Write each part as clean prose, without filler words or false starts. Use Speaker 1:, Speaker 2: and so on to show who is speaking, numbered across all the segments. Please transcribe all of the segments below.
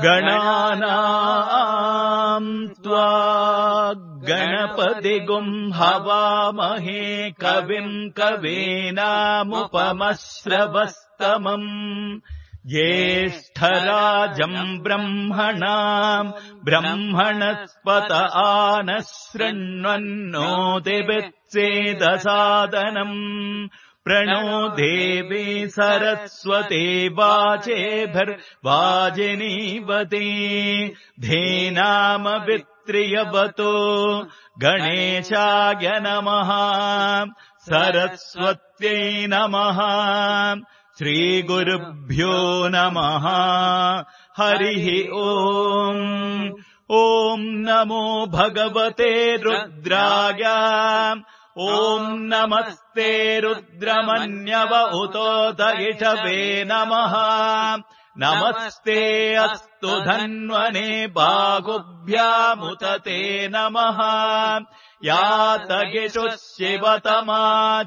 Speaker 1: गणानाम् त्वा गणपतिगुम् हवामहे कविम् कवीनामुपमश्रवस्तमम् ज्येष्ठराजम् ब्रह्मणाम् ब्रह्मणस्पत आनः शृण्वन्नोतिभिश्चेदसादनम् प्रणो देवी सरस्वती वाचेभिर्वाजिनीवती धेनामवित्रियवतो गणेशाय नमः सरस्वत्यै नमः श्रीगुरुभ्यो नमः हरिः ओम् ॐ नमो भगवते रुद्राय ॐ नमस्ते रुद्रमन्यव उतोत इषवे नमः नमस्ते अस्तु धन्वने बाहुभ्यामुत ते नमः यातगिषुः शिवतमा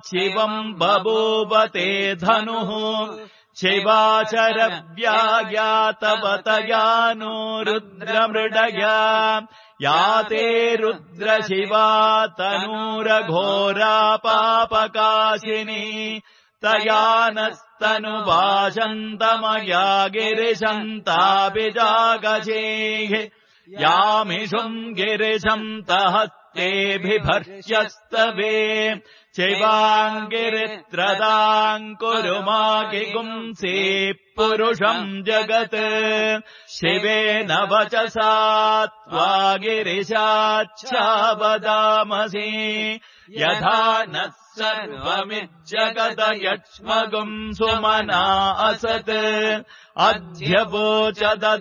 Speaker 1: शिवम् बभूव ते धनुः शिवाचरव्यायातवतयानो रुद्रमृडया याते रुद्रशिवा तनूरघोरा पापकाशिनी तया नस्तनुभाषन्तमया गिरिशन्ताभिजागजेः यामिषुम् गिरिशन्तहस्तेभिभर्ष्यस्तवे शिवाङ्गिरित्रदाम् कुरु मागिगुंसि पुरुषम् जगत् शिवेन वचसा त्वा गिरिशाच्छावदामसि यथा नः सर्वमिज्जगत यक्ष्मगुम् सुमना असत् अध्यवोचदधिवक्ता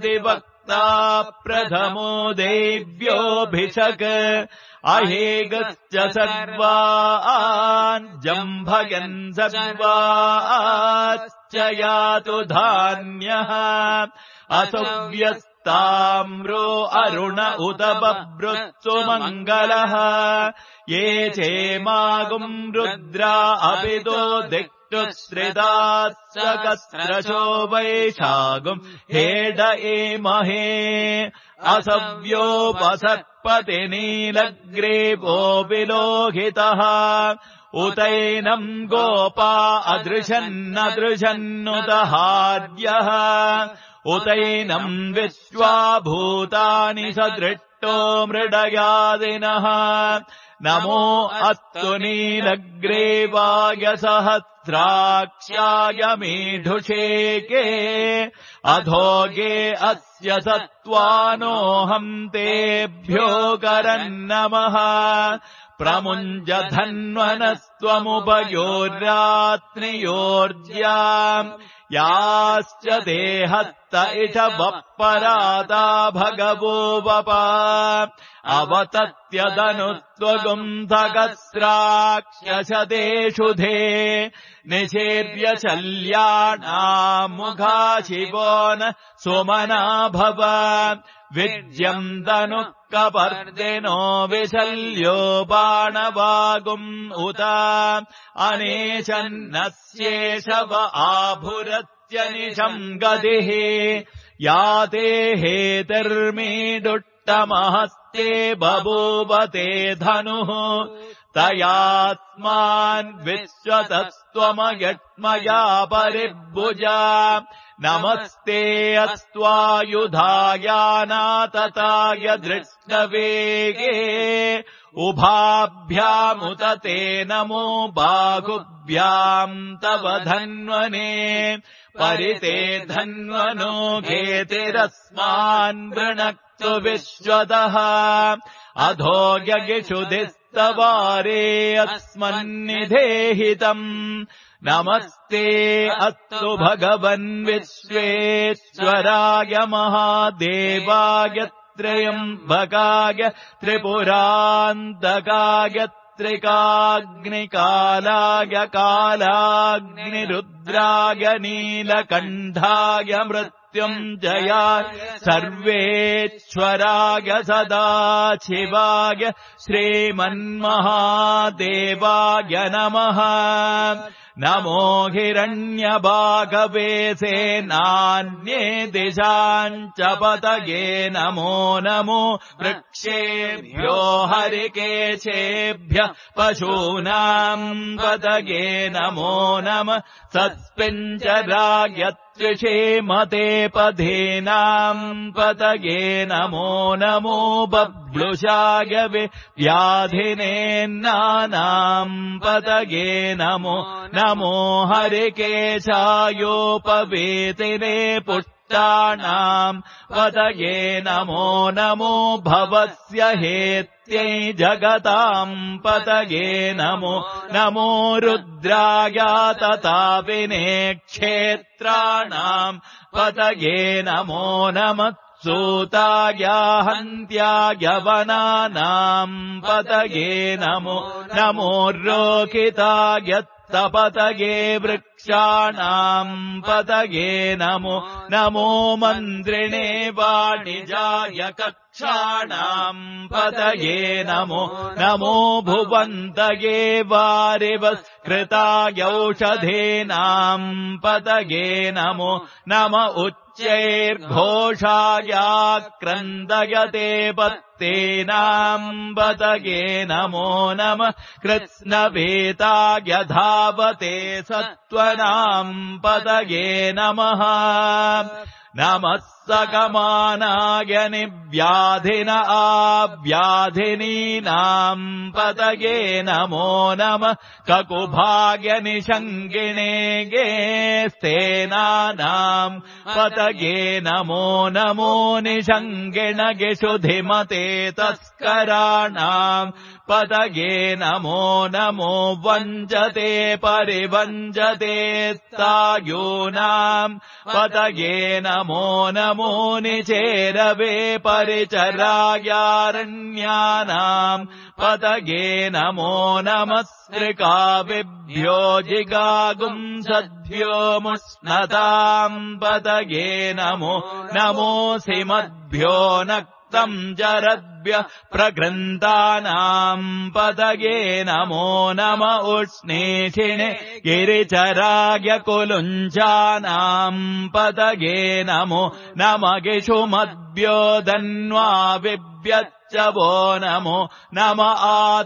Speaker 1: प्रथमो देव्योऽभिषक् अहेगश्च सर्वान् जम्भयन् सर्वाश्च यातु धान्यः असुव्यस्ताम्रो अरुण उत बभ्रुत्सु मङ्गलः ये चेमागुम् रुद्रा अपितो दिक्तुश्रितास्त्रकस्रशो वैशागुम् हेड एमहे असव्योपसर्पति नीलग्रीवो विलोहितः उतैनम् गोपा अदृशन्नदृशन्नुदहार्यः उतैनम् विश्वाभूतानि सदृष्टो मृडयादिनः नमो अस्तु नीलग्रीवाय सहस्राक्ष्याय मीढुषेके अधोगे अस्य सत्त्वानोऽहम् तेभ्यो करन्नमः प्रमुञ्ज धन्वनस्त्वमुभयोर्रात्रियोर्ज्याम् याश्च देहस्त इषवः पराता भगवो वपा अवतत्यदनुत्वगुम्धगस्राक्ष्यशतेषुधे निषेव्य शल्याणाम् मुखा शिवो न सुमना भव विज्यम् तनुः कपर्दिनो विशल्यो बाणवागुम् उत अनेशन्नस्येषव आभुरत्यनिशम् गतिः याते हेतिर्मीडुट्टमहस्ते बभूवते धनुः तयास्मान् विश्वतस्त्वमयट्मया परिभुजा नमस्ते अस्त्वायुधायानातताय दृष्टवेगे उभाभ्यामुत ते नमो बाहुभ्याम् तव धन्वने परिते धन्वनो घेतिरस्मान् वृणक्तु विश्वतः अधो यगिषुधिस्तवारे अस्मन्निधेहितम् नमस्ते अस्तु भगवन् विश्वेश्वराय महादेवाय त्र्यम्बकाय त्रिपुरान्तकाय त्रिकाग्निकालाय कालाग्निरुद्राय नीलकण्ठाय मृत्युञ्जयाय मृत्युञ्जयाय सर्वेश्वराय सदाशिवाय श्रीमन्महादेवाय नमः। नमो हिरण्यभागवे सेनान्ये दिशाञ्च पतये नमो नमो वृक्षेभ्यो हरिकेशेभ्यः पशूनाम् पतये नमो नमः। सत्पिञ्जराय त्रिषेमते पधीनाम् पतये नमो नमो बभ्लुषाय व्याधिनेन्नानाम् पतये नमो नमो हरिकेशायोपवेतिने पुष्टानाम् पतये नमो नमो भवस्य हेत्यै जगताम् पतये नमो नमो रुद्राय तथा विनेक्षेत्राणाम् पतये नमो नमः। सूताय हन्त्याय वनानाम् पतये नमो नमो रोकिताय पतये वृक्षाणाम् पतये नमो नमो मन्त्रिणे वाणिजाय कक्षाणाम् पतये नमो नमो भुवन्तये वारिवस्कृताय औषधीनाम् पतये नमो नम उच्चैर्घोषाय क्रन्दयते पत्तेनाम् पतये नमो नमः। कृत्स्नवेताय धावते सत्त्वनाम् पतये नमः नमः। सकमानाय निव्याधिन आव्याधिनीनाम् पतये नमो नमः। ककुभाय निषङ्गिणे गेस्तेनानाम् पतये नमो नमो निषङ्गिणगिषुधिमते तस्कराणाम् पतये नमो नमो वञ्जते परिवञ्जते तायूनाम् पतये नमो नमो निचेरवे परिचरायारण्यानाम् पतये नमो नमः। स्त्रिकाविभ्यो जिगागुंसद्भ्यो मुष्णताम् पतये नमो नमो सिमद्भ्यो नक्तम् जरद्भ्यः प्रगृन्तानाम् पतये नमो नम उष्णीषिणे गिरिचराय कुलुञ्चानाम् पतये नमो नम गिषुमद्भ्यो धन्वाविभ्यश्च वो नमो नम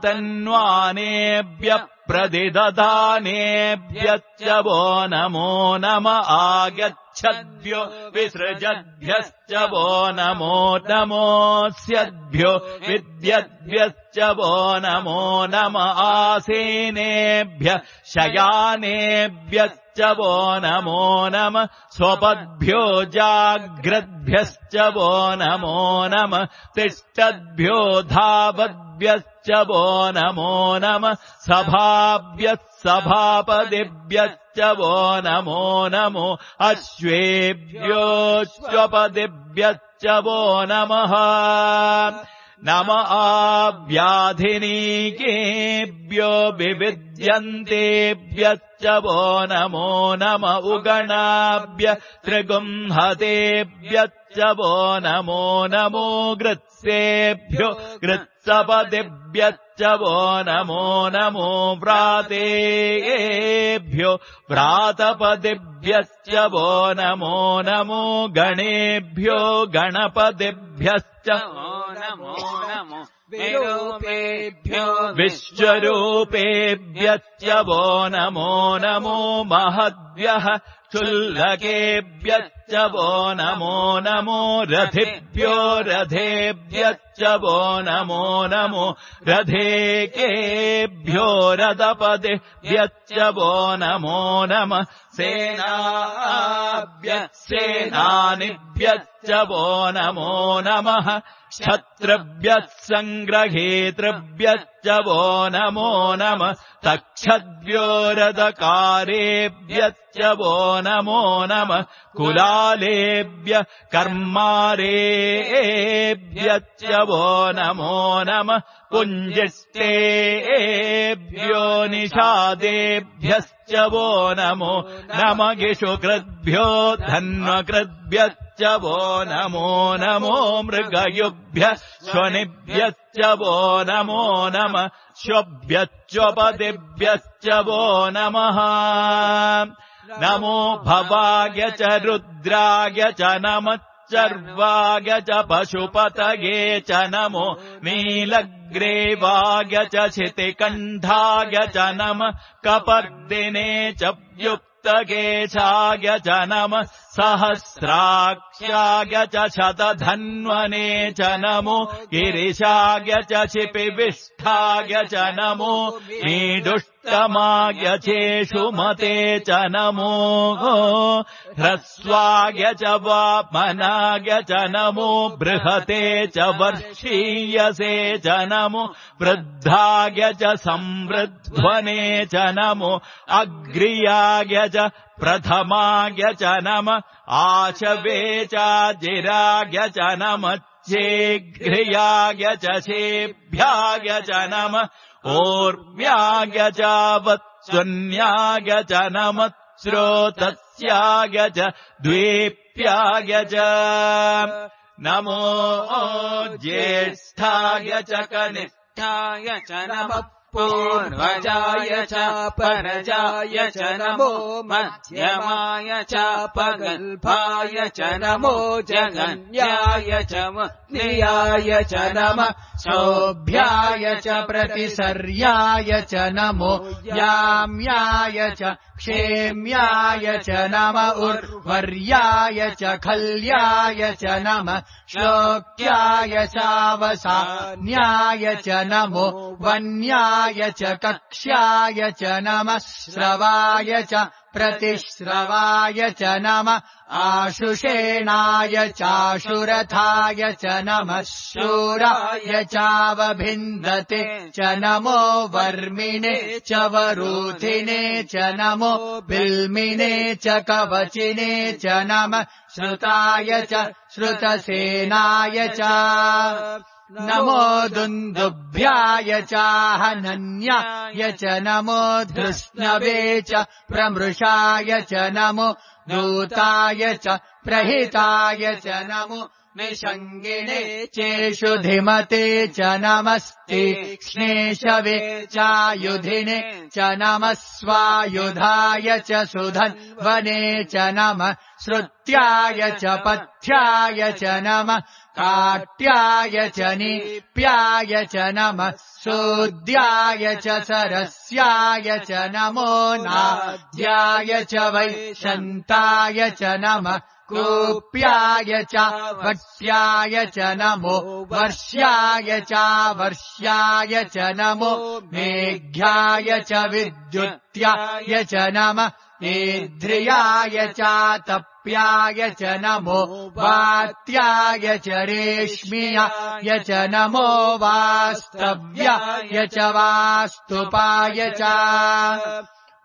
Speaker 1: आतन्वानेभ्यः प्रतिदधानेभ्यश्च वो नमो नम आगच्छद्भ्यो विसृजद्भ्यश्च वो नमो नमोऽस्यद्भ्यो विद्यद्भ्यश्च वो नमो नम आसीनेभ्यः शयानेभ्यश्च वो नमो नम स्वपद्भ्यो जाग्रद्भ्यश्च वो नमो नम तिष्ठद्भ्यो धावद्भ्यश्च वो नमो नम सभाभ्यः सभापदिभ्यश्च वो नमो नमो अश्वेभ्योऽश्वपदिभ्यश्च वो नमः नम आव्याधिनीकेभ्यो विविद्यन्तेभ्यश्च वो नमो नम उगणाभ्य त्रिगुंहतेभ्यश्च वो नमो नमो गृत्सेभ्यो गृत्सपदिभ्यश्च वो नमो नमो व्रातेभ्यो व्रातपदिभ्यश्च वो नमो नमो गणेभ्यो गणपतिभ्यश्च नमो नमो विरूपेभ्यो विश्वरूपेभ्यश्च वो नमो नमो महद्भ्यः क्षुल्लकेभ्यश्च वो नमो नमो रथिभ्यो रथेभ्यश्च वो नमो नमो रथेकेभ्यो रथपतिभ्यश्च वो नमो नमः सेनाभ्यः सेनानिभ्यश्च वो नमो नमः क्षत्रभ्यः सङ्ग्रहेतृभ्यश्च वो नमो नमः तक्षद्भ्यो रथकारेभ्यश्च वो नमो नमः कुलालेभ्य कर्मारेभ्यश्च वो नमो नमः पुञ्जिष्टेभ्यो निषादेभ्यश्च वो नमो नमगिषुकृद्भ्यो धन्वकृद्भ्यश्च वो नमो नमो मृगयुभ्यः स्वनिभ्यश्च वो नमो नमः श्वभ्यश्चोपदिभ्यश्च वो नमः नमो भवाय च रुद्राय च नमः चर्वाय च पशुपतये च नमो नीलग्रीवाय च क्षितिकण्ठाय च नमः कपर्दिने च युक्तकेशाय च नमः सहस्राक्ष्याय च शतधन्वने च नमो गिरिशाय च क्षिपिविष्ठाय च नमो मीडुष्टमाय चेषुमते च नमो ह्रस्वाय च वामनाय च नमो बृहते च वर्षीयसे च नमो वृद्धाय च संवृध्वने च नमो अग्र्याय च प्रथमाय च नमः आशवे चाजिराय च नमः चेघ्र्याय च शेभ्याय च नमः ओर्व्याय च वत्सुन्याय च नमः श्रोतस्याय च द्वीप्याय च नमो ज्येष्ठाय च कनिष्ठाय च नमः पूर्वजाय च परजाय च नमो मध्यमाय च पगल्भाय च नमो जगन्याय च मुनियाय च नमः शोभ्याय च प्रतिसर्याय च नमो याम्याय च क्षेम्याय च नम उर्वर्याय च खल्याय च नमः श्लोक्याय चावसान्याय च नमो वन्याय च कक्ष्याय च नमः श्रवाय च प्रतिश्रवाय च नमः आशुषेणाय चाशुरथाय च नमः शूराय चावभिन्दते च नमो वर्मिणे च वरूथिने च नमो बिल्मिने च कवचिने च नमः श्रुताय च श्रुतसेनाय च नमो दुन्दुभ्याय चाहनन्याय च नमो धृष्णवे च प्रमृषाय च नमो दूताय च प्रहिताय च नमो निषङ्गिणे चेषुधिमते च नमस्तीक्ष्णेशवे चायुधिने च नमः स्वायुधाय च सुधन्वने च नमः श्रुत्याय च पथ्याय च नमः काट्याय च नीप्याय च नमः सूद्याय च सरस्याय च नमो नाद्याय च वैशन्ताय च नमः कूप्याय च वट्याय च नमो वर्ष्याय च वर्ष्याय च नमो मेघ्याय च विद्युत्याय च नमः ईध्रियाय च तप्याय च नमो वात्याय च रेश्मियाय च नमो वास्तव्याय च वास्तुपाय च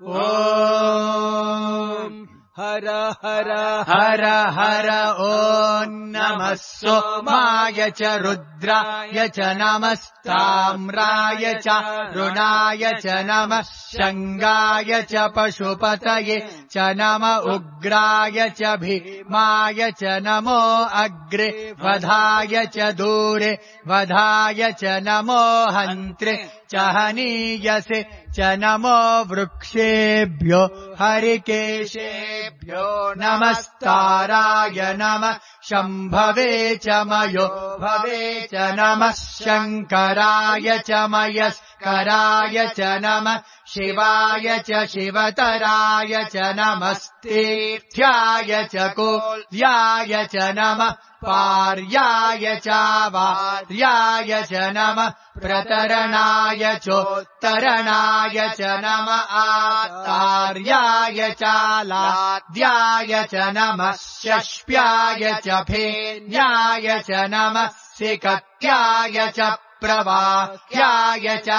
Speaker 1: ॐ हर हर हर हर ॐ नमः सोमाय च रुद्राय च नमस्ताम्राय च रुणाय च नमः शङ्गाय च पशुपतये च नम उग्राय च भीमाय च नमो अग्रे वधाय च दूरे वधाय च नमो हन्त्रे च हनीयसे च नमो वृक्षेभ्यो हरिकेशेभ्यो नमस्ताराय नमः शम्भवे च मयो भवे च नमः शङ्कराय च मयस्कराय च नमः शिवाय च शिवतराय च नमस्तीर्थ्याय च कोल्याय च नमः पार्याय च वार्याय च नमः प्रतरणाय चोत्तरणाय च नमः आतार्याय च लाद्याय च नमः शष्प्याय च फेन्याय च नमः सिकत्याय च प्रवाह्याय च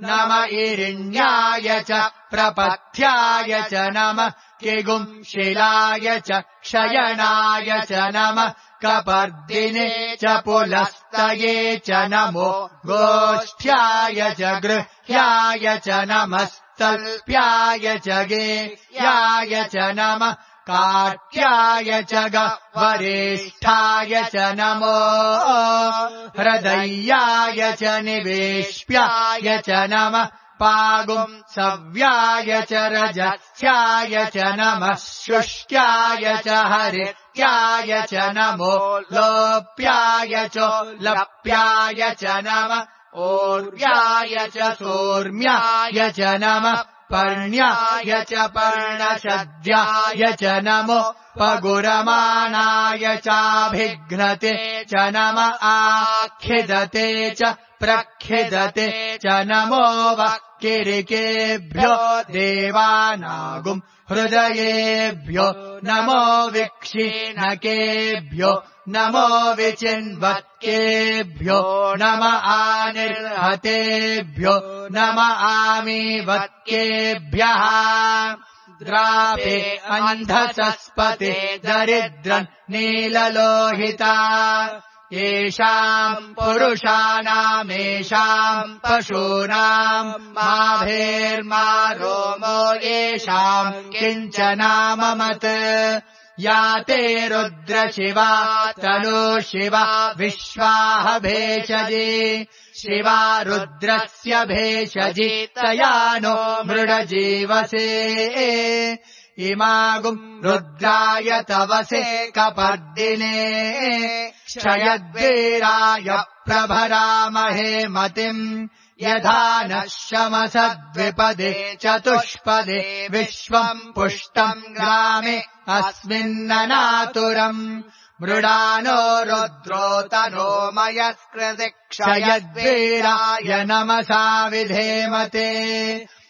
Speaker 2: नम इरिण्याय च प्रपथ्याय च नमः किगुंशिलाय च शयनाय च नमः कपर्दिने च पुलस्तये च नमो गोष्ठ्याय च गृह्याय च नमस्तल्प्याय च गेह्याय च नमः काट्याय च गवरेष्ठाय च नमो हृदयाय च निवेश्याय च नमः पागुंसव्याय च रजस्याय च नमः शुष्क्याय च हरित्याय च नमो लोप्याय च लप्याय च नमः ओर्व्याय च सोर्म्याय च नमः पर्ण्याय च पर्णशद्याय च नमो पगुरमाणाय चाभिघ्नते च नम आखिदते च प्रखिदते च नमो वक्किरिकेभ्यो देवानागुं हृदयेभ्यो नमो विक्षीणकेभ्यो नमो विचिन्वत्केभ्यो नम आनिर्हतेभ्यो नम आमीवत्केभ्यः द्रापे अन्धसस्पते दरिद्रन् नीललोहिता येषाम् पुरुषाणामेषाम् पशूनाम् माभेर्मा रोमो येषाम् किञ्चनाममत् या ते रुद्रशिवा तनु शिवा विश्वाह भेषजी शिवा रुद्रस्य भेषजी तया नो मृडजीवसे इमागुम् रुद्राय तवसे कपर्दिने क्षयद्वीराय प्रभरामहे मतिम् यथा नः शमसद्विपदे चतुष्पदे विश्वम् पुष्टम् ग्रामे अस्मिन्ननातुरम् मृडानो रुद्रोतनो मयस्कृति क्षयद्वीराय नमसा विधेमते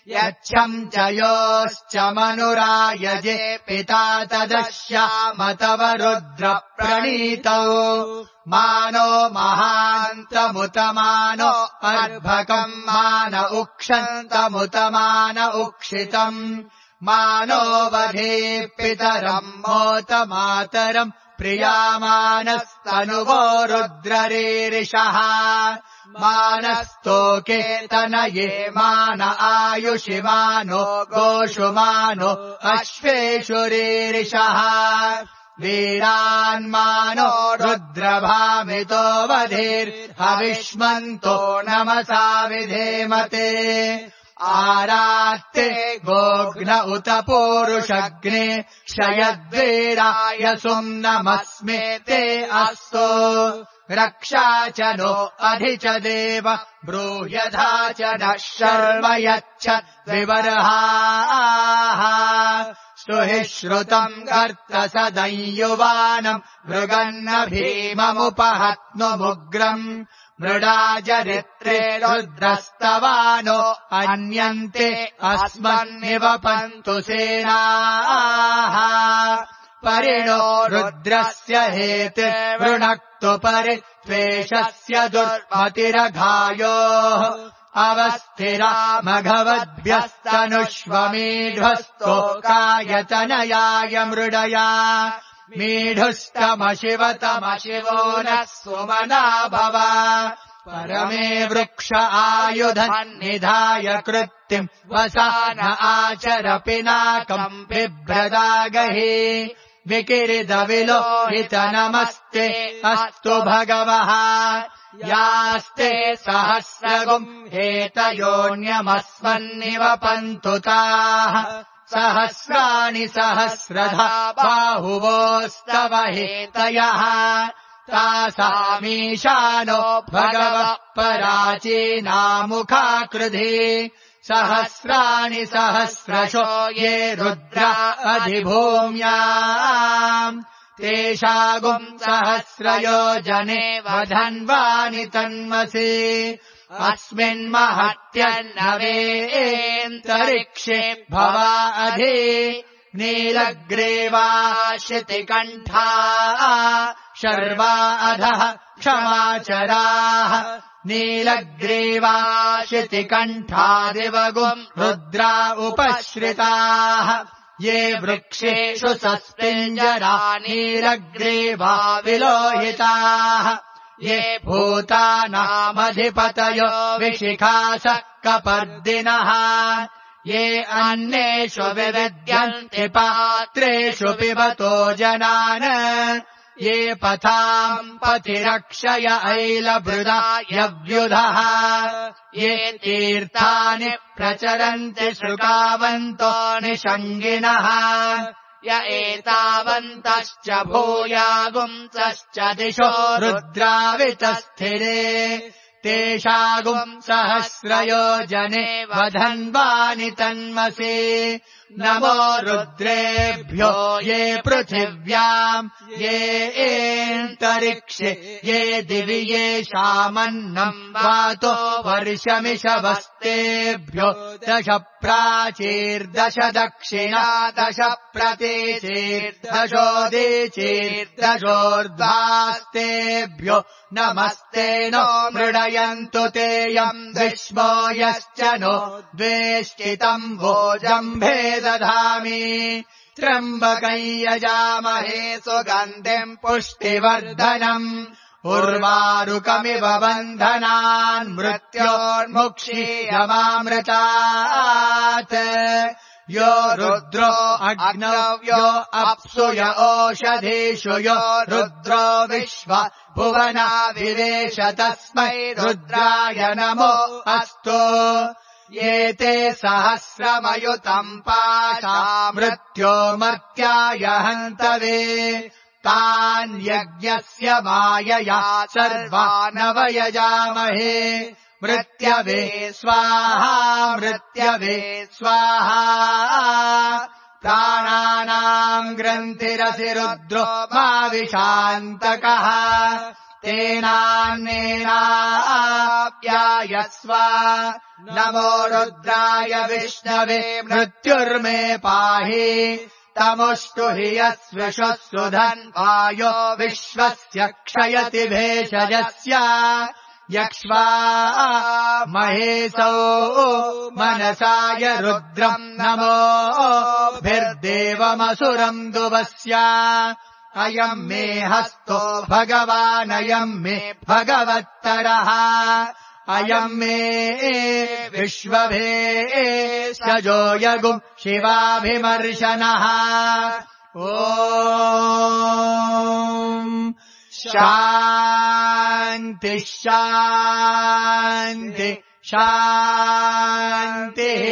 Speaker 2: यच्छम् च योश्च मनुरायजे पिता तदश्यामतव रुद्रप्रणीतौ मानो महान्तमुतमानो अर्भकम् मान उक्षन्तमुतमान उक्षितम् मानो वधे पितरम् मोतमातरम् प्रियामानस्तनुवो रुद्ररीरिषः मानस्तोके तनये मान आयुषि मानो गोषु मानो अश्वेषु रीरिषः वीरान्मानो रुद्रभामितो वधेर्हविष्मन्तो नमसा विधेमते आरात्ते गोघ्न उत पूरुषग्ने क्षयद्वीराय सुम्नमस्मे ते अस्तु रक्षा च नो अधि च देव ब्रूह्यथा च नः शर्म यच्छद्विबर्हाः स्तुहि श्रुतम् कर्तसदंयुवानम् मृगन्न भीममुपहत्नुमुग्रम् मृडाजरित्रे रुद्रस्तवानो अन्यन्ते अस्मन्निवपन्तु सेनाः परिणो रुद्रस्य हेते वृणक्तु परित्वेषस्य दुर्मतिरघायोः अवस्थिरा मघवद्भ्यस्तनुष्वमीढ्वस्तोकायतनयाय मृडया मीढुस्तमशिवतमशिवो नः सुमना भव परमे वृक्ष आयुधन्निधाय कृत्तिम् वसान आचर पिनाकम् बिभ्रदागहि विकिरिदविलोहित नमस्ते अस्तु भगवः यास्ते सहस्रगुम् हेतयोऽन्यमस्मन्निवपन्तु ताः सहस्राणि सहस्रधा बाहुवोस्तव हेतयः तासामीशानो भगवः पराचीनामुखाकृधि सहस्राणि सहस्रशो ये रुद्रा अधिभूम्याम् तेषागुम् सहस्रयोजने वधन्वानि तन्मसि अस्मिन्महत्यन्नवेन्तरिक्षे भवा अधि नीलग्रीवाशितिकण्ठा शर्वा अधः क्षमाचराः नीलग्रीवा शितिकण्ठादिवगुम् रुद्रा उपश्रिताः ये वृक्षेषु सस्पिञ्जरा नीलग्रीवा विलोहिताः ये भूतानामधिपतयो विशिखासः कपर्दिनः ये अन्नेषु विविद्यन्ति पात्रेषु पिबतो जनान् ये पथाम् पथिरक्षय ऐलभृदा यव्युधः ये तीर्थानि प्रचरन्ति शुकावन्तो निषङ्गिनः य एतावन्तश्च भूयागुंसश्च दिशो रुद्रावितस्थिरे तेषागुम् सहस्रयोजने वधन्वानि तन्मसि नमो रुद्रेभ्यो ये पृथिव्याम् ये एन्तरिक्षे ये दिवि येषामन्नम् वातो वर्षमिषवस्तेभ्यो दश प्राचीर्दश दक्षिणा दश प्रतीचीर्दशोदीचीर्दशोर्ध्वास्तेभ्यो नमस्ते नो मृडयन्तु तेयम् विश्वो यश्च नो द्वेष्टितम् भोजम्भे दधामि त्र्यम्बकम् यजामहे सुगन्धिम् पुष्टिवर्धनम् उर्वारुकमिव बन्धनान् मृत्योर्मुक्षीयमामृतात् यो रुद्रो अग्नव्यो अप्सु य ओषधीषु यो रुद्रो विश्व भुवना विवेश तस्मै रुद्राय नमो अस्तु ये ते सहस्रमयुतम् पाशा मृत्यो मर्त्याय हन्तवे तान् यज्ञस्य मायया सर्वानवयजामहे मृत्यवे स्वाहा मृत्यवे स्वाहा प्राणानाम् ग्रन्थिरसि रुद्रो माविशान्तकः तेनान्नेनाप्यायस्व नमो रुद्राय विष्णवे मृत्युर्मे पाहि तमुष्टु हि यस्विषः सुधन्वायो विश्वस्य क्षयति भेषजस्य यक्ष्वा महेशौ मनसाय रुद्रम् नमोभिर्देवमसुरम् दुवस्य अयम् मे हस्तो भगवानयम् मे भगवत्तरः अयम् मे विश्वभेषजो यगुम् शिवाभिमर्शनः ॐ शान्ति शान्ति शान्तिः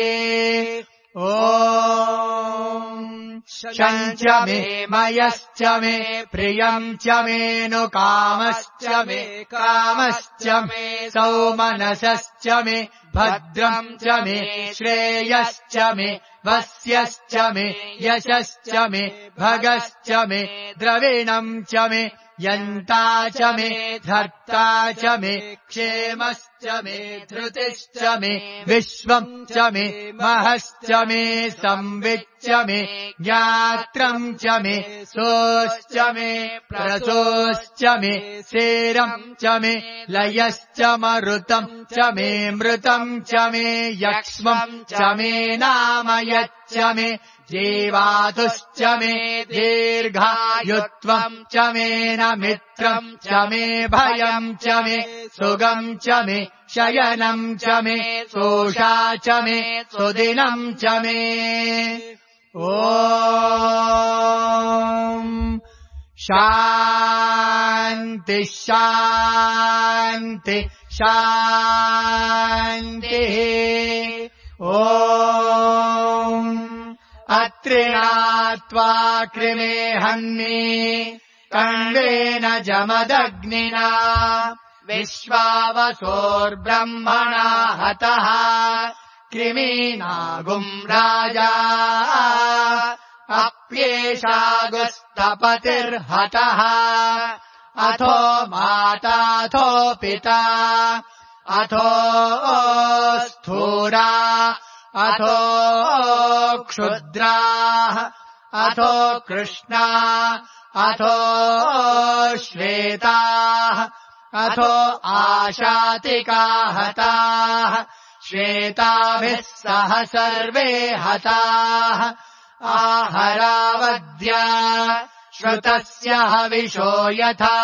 Speaker 2: ॐ शञ्च मे मयश्च मे प्रियम् च मेऽनुकामश्च मे कामश्च मे सौमनसश्च मे भद्रम् च मे श्रेयश्च मे वस्यश्च मे यशश्च मे भगश्च मे द्रविणम् च मे यन्ता च मे धर्ता च मे क्षेमश्च मे धृतिश्च मे विश्वम् च मे महश्च मे संविच्च मे ज्ञात्रम् च मे सोश्च मे प्रसोश्च मे सेरम् च मे लयश्च मरुतम् च मे मृतम् च मे यक्ष्मम् च मे नामयच्च मे जीवातुश्च मे दीर्घायुत्वम् च मे न मित्रम् च मे भयम् च मे सुगम् च मे शयनम् च मे सोषा च मे सुदिनम् च मे ॐ शान्ति शान्ति शान्तिः ॐ अत्रिणात्वा कृमे हन्मि कण्डेन जमदग्निना विश्वावसोर्ब्रह्मणा हतः कृमीनागुम् राजा अप्येषागुस्तपतिर्हतः अथो माताथो पिता अथो स्थूरा अथो क्षुद्राः अथो कृष्णा अथो श्वेताः अथो आशातिका हताः श्वेताभिः सह सर्वे हताः आहरावद्या श्रुतस्य हविषो यथा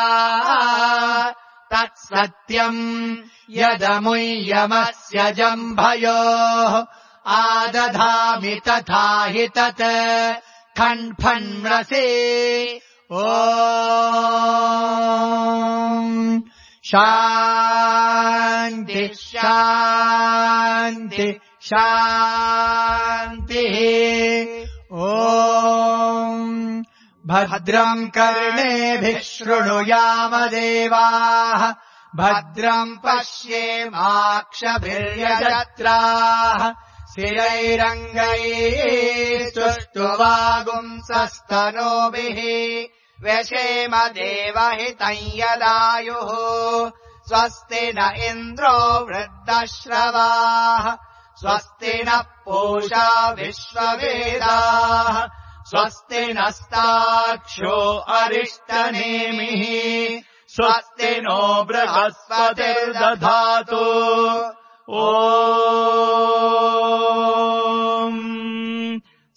Speaker 2: तत्सत्यम् यदमुय्यमस्य जम्भयोः आदधामि तथा हि तत् खण्फण्रसे ॐ शान्ति शान्ति शान्तिः ॐ भद्रम् कर्णेभिः शृणुयाम देवाः भद्रम् पश्येमाक्षभिर्यजत्राः स्थिरैरङ्गैः सुष्ठुवागुंसस्तनोभिः व्यशेम देवहितम् यदायुः स्वस्ति न इन्द्रो वृद्धश्रवाः स्वस्ति नः पूषा विश्ववेदाः स्वस्ति नस्ताक्षो अरिष्टनेमिः स्वस्ति नो बृहस्पतिर्दधातु ॐ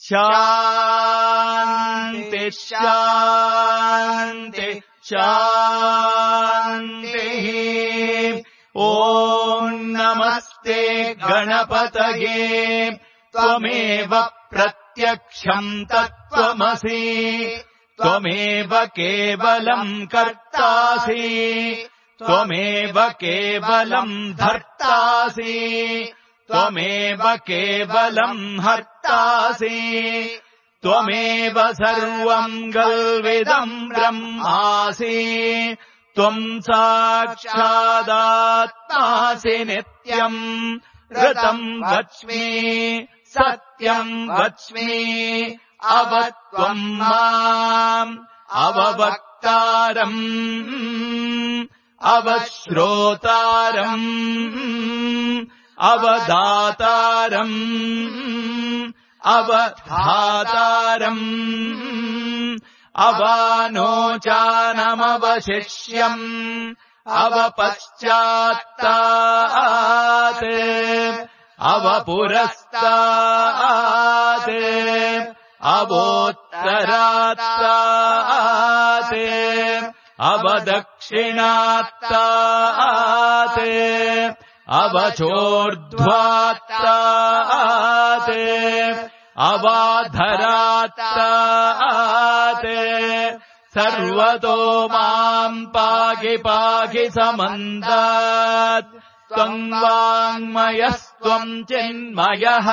Speaker 2: शान्ति शान्ति शान्तिः ॐ नमस्ते गणपतये त्वमेव प्रत्यक्षम् तत्त्वमसि त्वमेव केवलम् कर्तासि त्वमेव केवलम् धर्तासि त्वमेव केवलम् हर्तासि त्वमेव सर्वम् गल्विदम् ब्रह्मासि त्वम् साक्षादात्मासि नित्यम् ऋतम् वच्मि सत्यम् वच्मि अवत्वम् माम् अववक्तारम् अवश्रोतारम् अवदातारम् अवधातारम् अवानोचानमवशिष्यम् अवपश्चात्तात् अवपुरस्तात् अवोत्तरात्तात् अवदक्षिणात्तात् अवचोर्ध्वात्तात् अवाधरात्तात् सर्वतो माम् पाहि पाहि समन्तात् त्वम् वाङ्मयस्त्वम् चिन्मयः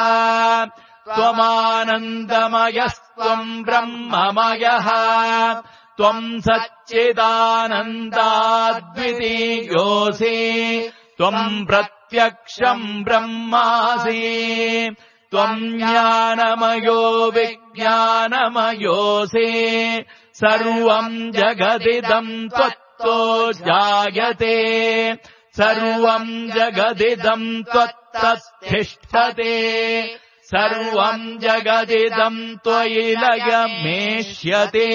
Speaker 2: त्वमानन्दमयस्त्वम् ब्रह्ममयः त्वम् सच्चिदानन्दाद्वितीयोऽसि त्वम् प्रत्यक्षम् ब्रह्मासि त्वम् ज्ञानमयो विज्ञानमयोऽसि सर्वम् जगदिदम् त्वत्तो जायते सर्वम् जगदिदम् त्वत्तस्तिष्ठते सर्वम् जगदिदम् त्वयि लयमेष्यते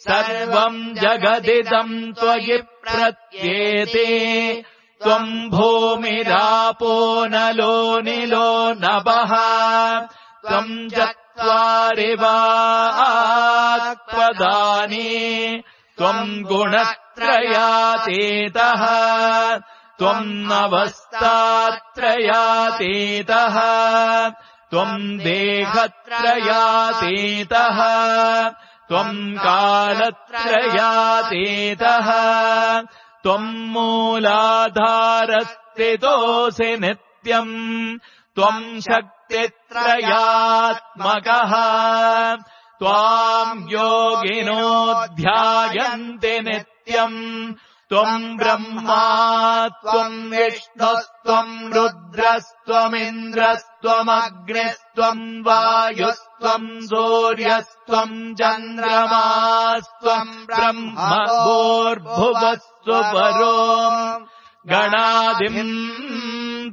Speaker 2: सर्वम् जगदिदम् त्वयि प्रत्येते त्वम् भूमिरापो नलो निलो नभः त्वम् चत्वारि वाक्पदानि त्वम् गुणत्रयातीतः त्वम् अवस्थात्रयातीतः त्वम् देहत्रयातीतः त्वम् कालत्रयातीतः त्वम् मूलाधारस्थितोऽसि नित्यम् त्वम् शक्तित्रयात्मकः त्वाम् योगिनो ध्यायन्ति नित्यम् त्वम् ब्रह्मा त्वम् विष्णुस्त्वम् रुद्रस्त्वमिन्द्रस्त्वमग्निस्त्वम् वायुस्त्वम् सूर्यस्त्वम् चन्द्रमास्त्वम् ब्रह्म भूर्भुवस्त्वपरो गणादिम्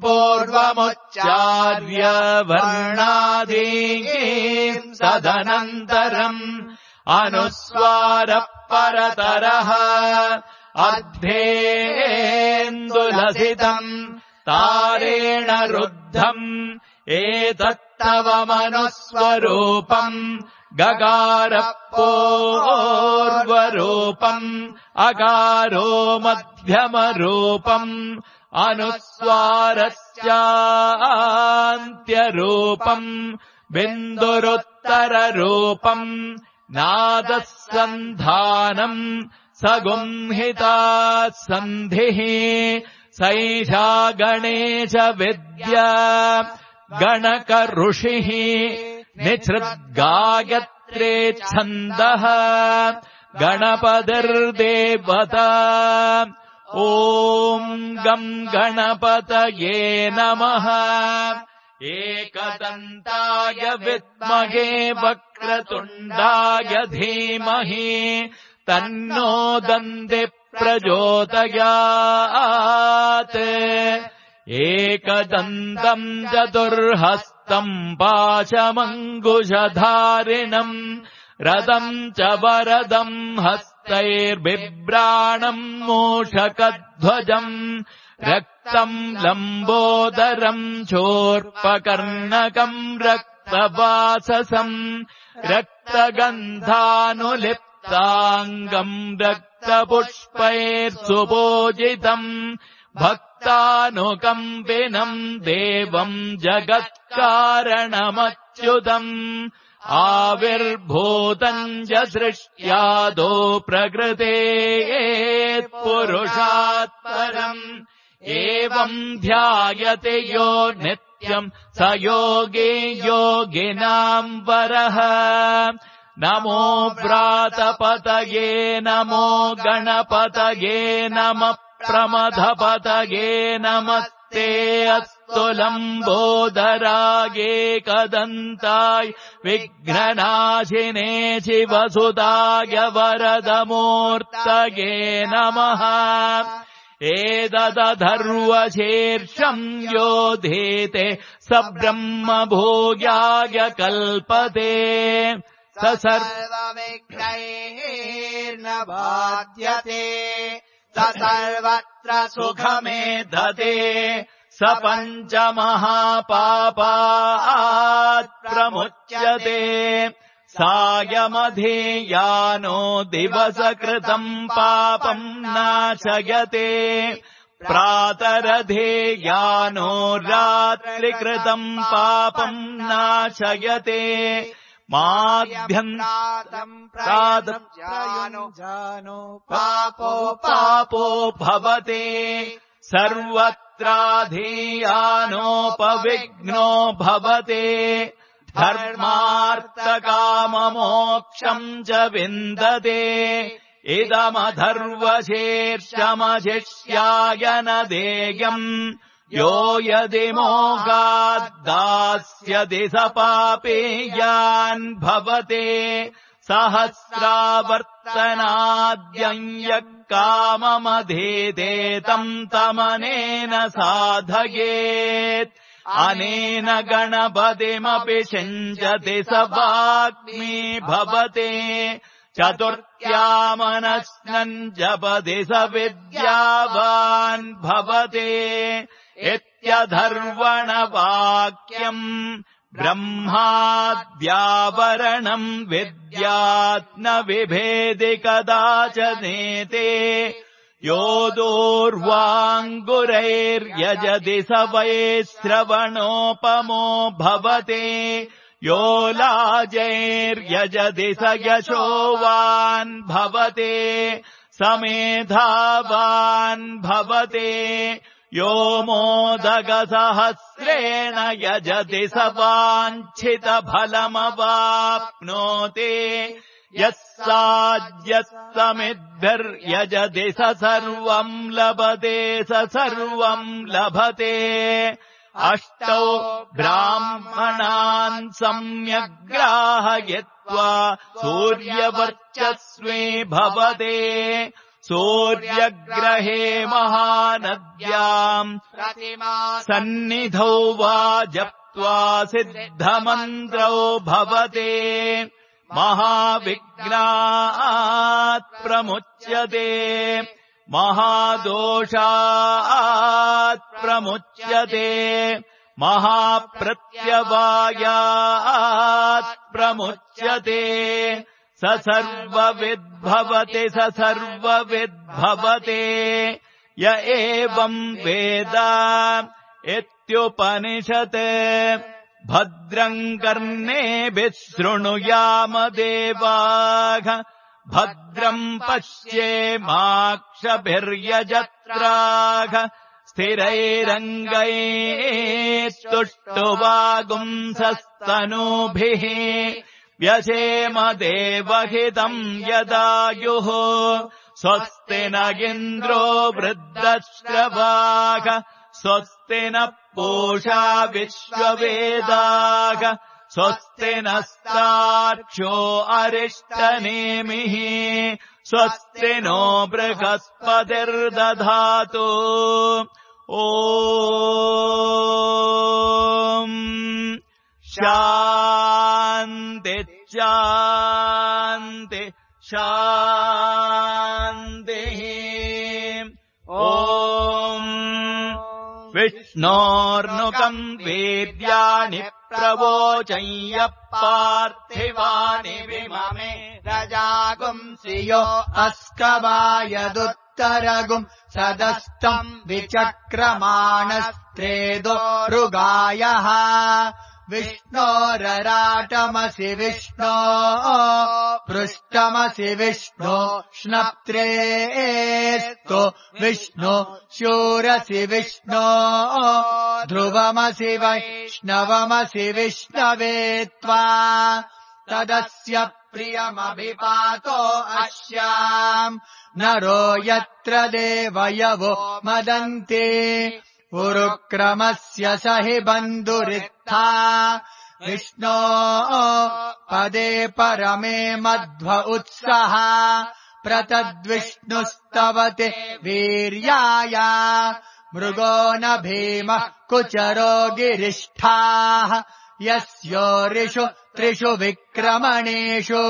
Speaker 2: पूर्वमुच्चार्य वर्णादीन् सदनन्तरम् अनुस्वारः परतरः
Speaker 1: अर्धेन्दुलसितम् तारेण रुद्धम् एतत्तव मनुस्वरूपम् गगारपूर्वरूपम् अगारो मध्यमरूपम् अनुस्वारस्यान्त्यरूपम् बिन्दुरुत्तररूपम् नादः सन्धानम् सगुंहिता सन्धिः सैषा गणेश विद्या गणक ऋषिः निछृद्गायत्रे छन्दः गणपतिर्देवता ॐ गम् गणपतये नमः एकदन्ताय विद्महे वक्रतुण्डाय धीमहि तन्नो दन्ति प्रचोदयात् एकदन्तम् चतुर्हस्तम् पाशमङ्कुशधारिणम् रथम् च वरदम् हस्तैर्बिभ्राणम् मूषकध्वजम् रक्तम् लम्बोदरम् चोर्पकर्णकम् रक्तवाससम् रक्तगन्धानुलिप्ताङ्गम् रक्तपुष्पैर्सुपूजितम् भक्तानुकम्पिनम् देवम् जगत्कारणमच्युतम् आविर्भूतम् च सृष्ट्यादो प्रकृतेः पुरुषात् परम् एवम् ध्यायते यो नित्यम् स योगी योगिनाम् वरः नमो व्रातपतये नमो गणपतये नमः प्रमथपतये नमस्ते अस्तु लम्बोदराये कदन्ताय विघ्ननाशिने शिवसुताय वरदमूर्तये नमः एतदथर्वशीर्षम् योधीते स ब्रह्मभूयाय कल्पते स
Speaker 2: सर्वविघ्नैर्न बाध्यते स सर्वत्र सुखमेधते स पञ्चमहापापात् प्रमुच्यते सायमधीयानो दिवसकृतम् पापम् नाशयते प्रातरधीयानो रात्रिकृतम् पापम् नाशयते माध्यन्तातम् जानो पापो भवते सर्वत्राधीयानोपविघ्नो भवते धर्मार्थकाममोक्षम् च विन्दते इदमथर्वशीर्षमशिष्याय न देयम् यो यदि मोहाद्दास्यति स पापेयान् भवते सहस्रावर्तनाद्यम् यः काममधीते तम् तमनेन साधयेत् अनेन गणपतिमपि सिञ्चति स वाग्मी भवते चतुर्थ्यामनस्नम् जपति स विद्यावान् भवते इत्यथर्वणवाक्यम् ब्रह्माद्यावरणम् विद्यात् न विभेदि कदाचनेते यो दूर्वाङ्गुरैर्यजति स वै श्रवणोपमो भवते यो लाजैर्यजति स यशोवान् भवते समेधावान् भवते यो मोदकसहस्रेण यजति स वाञ्छितफलमवाप्नोति यः साज्यस्तमिद्भिर्यजति स सर्वम् लभते स सर्वम् लभते अष्टौ ब्राह्मणान् सम्यग्राहयित्वा सूर्यवर्चस्वी भवते सूर्यग्रहे महानद्याम् सन्निधौ वा जप्त्वा सिद्धमन्त्रौ भवते महाविघ्नात् प्रमुच्यते
Speaker 1: महादोषात् प्रमुच्यते महाप्रत्यवायात् प्रमुच्यते स सर्वविद्भवति स सर्वविद्भवते य एवम् वेद इत्युपनिषत् भद्रम् कर्णेभिः शृणुयाम देवाः भद्रम् पश्येमाक्षभिर्यजत्राः स्थिरैरङ्गैस्तुष्टुवागुंसस्तनूभिः व्यसेम देवहितम् यदायुः स्वस्ति न इन्द्रो वृद्धश्रवाः स्वस्ति नः पूषा विश्ववेदाः स्वस्ति नस्तार्क्ष्यो अरिष्टनेमिः स्वस्ति नो बृहस्पतिर्दधातु ॐ शान्ति शान्ति शान्तिः ॐ विष्णोर्नुकम् वेद्यानि प्रवोचय्य पार्थिवानि विममे
Speaker 2: रजागुंसियो अस्कवायदुत्तरगुम् सदस्तम् विचक्रमाणस्त्रेदो ऋगायः विष्णोरराटमसि विष्णो पृष्ठमसि विष्णो श्नप्त्रेस्तो विष्णो शूरसि विष्णो ध्रुवमसि वैष्णवमसि विष्णवे त्वा तदस्य प्रियमभिपातो अस्याम् नरो यत्र देवयवो मदन्ति उरुक्रमस्य स हि बन्धुरित्था विष्णो पदे परमे मध्व उत्सः प्रतद्विष्णुस्तवते वीर्याय मृगो न भीमः कुचरो गिरिष्ठाः यस्योरिषु त्रिषु विक्रमणेषु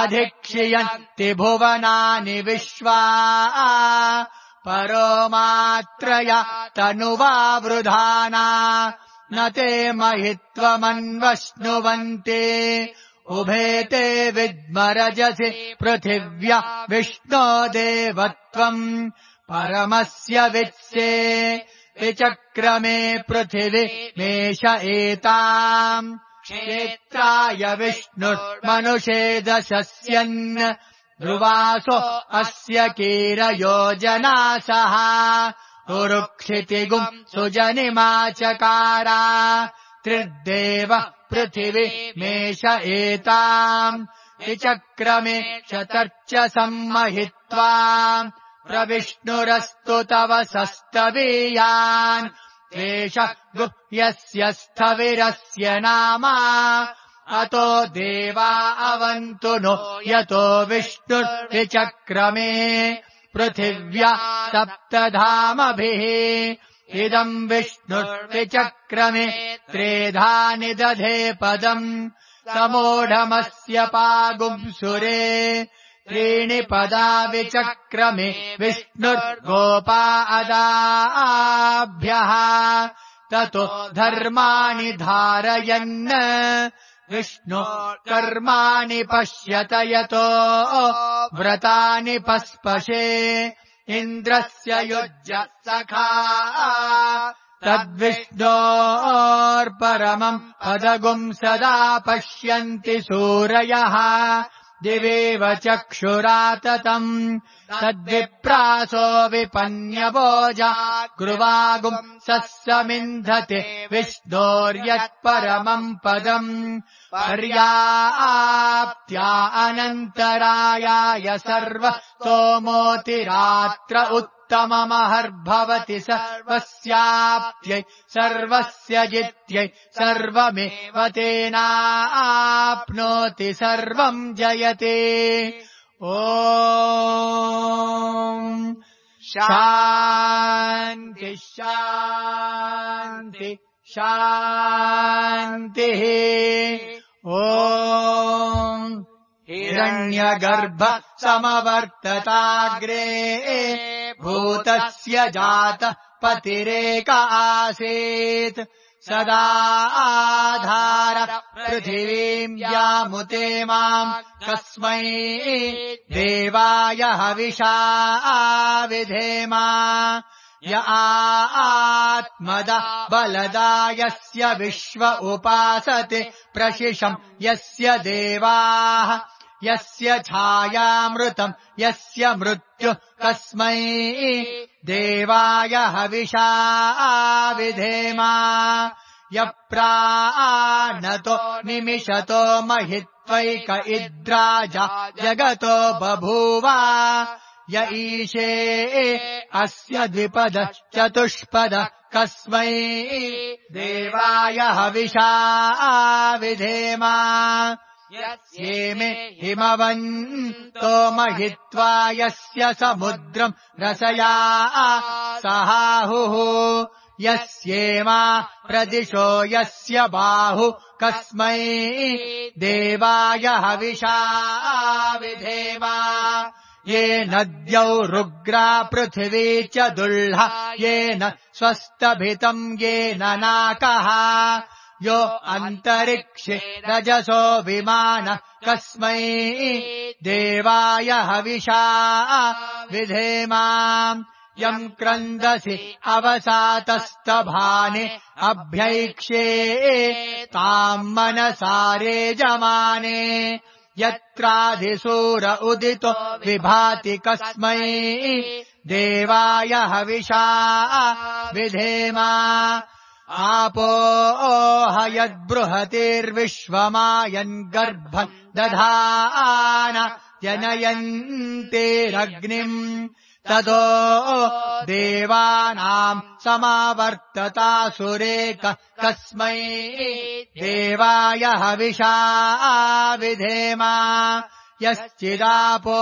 Speaker 2: अधिक्षियन्ति भुवनानि विश्वा परो मात्रया तनुवावृधाना न ते महित्वमन्वश्नुवन्ति उभे ते विद्मरजसि पृथिव्या विष्णो देवत्वम् परमस्य वित्से विचक्रमे पृथिवी मेष एताम् क्षेत्राय विष्णुर्मनुषे दशस्यन् ध्रुवासो अस्य कीरयोजनासः उरुक्षितिगुम् सुजनिमाचकारा त्रिर्देव पृथिवी मेष एताम् विचक्रमे शतर्च सम्महित्वा प्रविष्णुरस्तु तव सस्तवीयान् एष गुह्यस्य स्थविरस्य नाम अतो देवा अवन्तु नो यतो विष्णुर्विचक्रमे पृथिव्या सप्तधामभिः इदम् विष्णुर्विचक्रमे त्रेधानि दधे पदम् समोढमस्य पागुंसुरे त्रीणि पदा विचक्रमे विष्णुर्गोपा अदाभ्यः ततो धर्माणि धारयन् विष्णु कर्माणि पश्यत यतो व्रतानि पस्पशे इन्द्रस्य युज्य सखा तद्विष्णोर्परमम् पदगुम् सदा पश्यन्ति सूरयः दिवेव चक्षुराततम् तद्विप्रासो विपन्यवोजा गृवागुम् सस्समिन्धते विष्णोर्यत्परमम् पदम् पर्याप्त्या अनन्तरायाय सर्वतोमोतिरात्र उत्तममहर्भवति सर्वस्याप्त्यै सर्वस्य जित्यै सर्वमेव तेनाप्नोति सर्वम् जयते ॐ शान्ति शान्ति शान्तिः ॐ हिरण्यगर्भ समवर्तताग्रे भूतस्य जातः पतिरेक आसीत् सदा आधार पृथिवीम् यामुते माम् कस्मै देवाय हविषा विधेमा य आत्मदा बलदा यस्य विश्व उपासते प्रशिशम् यस्य देवाः यस्य छायामृतम् यस्य मृत्युः कस्मै देवाय हविषा विधेमा यप्राणतो निमिषतो महित्वैक इद्राजा जगतो बभूव य ईशे अस्य द्विपद चतुष्पद कस्मै देवाय हविषा विधेमा यस्येमे हिमवन्तो महित्वा यस्य समुद्रम् रसया सहाहुः यस्येमा प्रदिशो यस्य बाहु कस्मै देवाय हविषा विधेमा ये नद्यौ रुग्रा पृथिवी च दुल्हा येन स्वस्तभितम् येन नाकः यो अन्तरिक्षे रजसो विमान कस्मै देवाय हविषा विधेमा यम् क्रन्दसि अवसातस्तभाने अभ्यैक्षे ताम् मनसारे जमाने यत्राधिसूर उदितो विभाति कस्मै देवाय हविषा विधेमा आपो हयद्बृहतिर्विश्वमायन् गर्भम् दधान जनयन्तेरग्निम् तदो देवानाम् समावर्ततासुरेक कस्मै देवाय हविषा विधेमा यश्चिदापो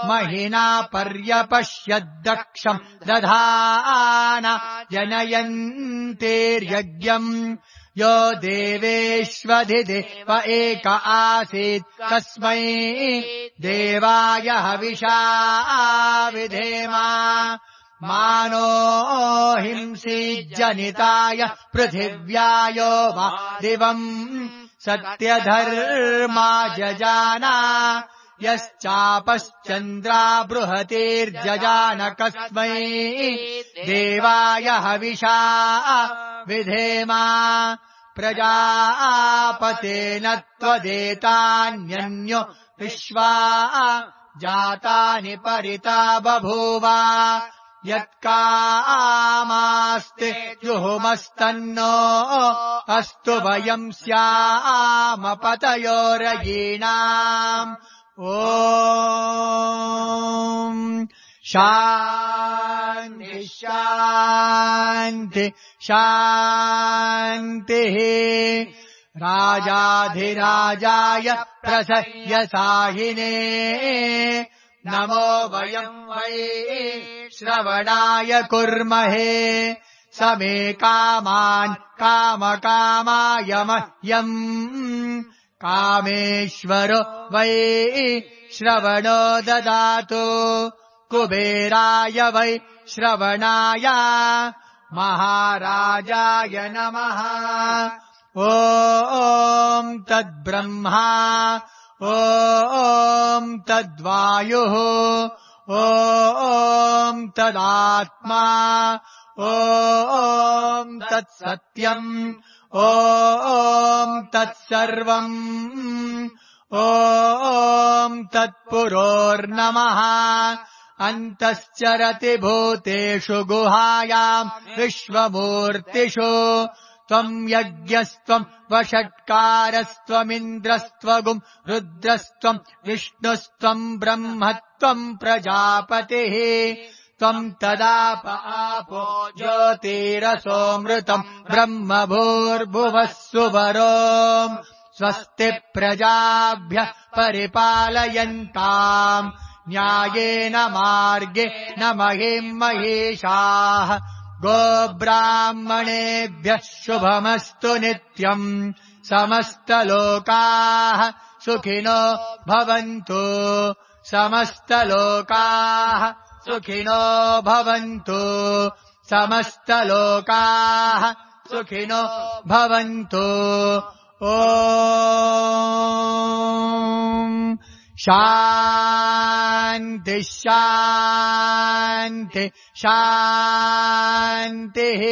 Speaker 2: महिना पर्यपश्यद्दक्षम् दधान जनयन्तेर्यज्ञम् यो देवेष्वधिदेव एक आसीत् कस्मै देवाय हविषा विधेमा मानो हिंसी जनिताय पृथिव्यायो वा दिवम् सत्यधर्मा जजाना यश्चापश्चन्द्रा बृहतिर्जजान कस्मै देवाय हविषा विधेमा प्रजापतेन त्वदेतान्यन्यो विश्वा जातानि परिता बभूव यत्कामास्ते जुहुमस्तन्नो अस्तु वयम् स्याम पतयोरयीणाम् ॐ शान्ति शान्ति शान्तिः राजाधिराजाय प्रसह्यसाहिने नमो वयम् वै श्रवणाय कुर्महे समे कामान् कामकामाय मह्यम् कामेश्वरो वै श्रवणो ददातु कुबेराय वै श्रवणाय महाराजाय नमः ॐ तद्ब्रह्मा ॐ तद्वायुः ॐ तदात्मा ॐ तत्सत्यम् ॐ तत्सर्वम् ॐ तत्पुरोर्नमः अन्तश्चरति भूतेषु गुहायाम् विश्वमूर्तिषु त्वम् यज्ञस्त्वम् वषट्कारस्त्वमिन्द्रस्त्वगुम् रुद्रस्त्वम् विष्णुस्त्वम् ब्रह्मत्वम् प्रजापतिः त्वम् तदाप आपो ज्योतिरसोऽमृतम् ब्रह्म भूर्भुवः सुवरोम् स्वस्ति प्रजाभ्यः परिपालयन्ताम् न्यायेन मार्गेण महिम् महिषाः गोब्राह्मणेभ्यः शुभमस्तु नित्यम् समस्तलोकाः सुखिनो भवन्तु समस्तलोकाः सुखिनो भवन्तु समस्तलोकाः सुखिनो भवन्तु ॐ शान्ति शान्ति शान्तिः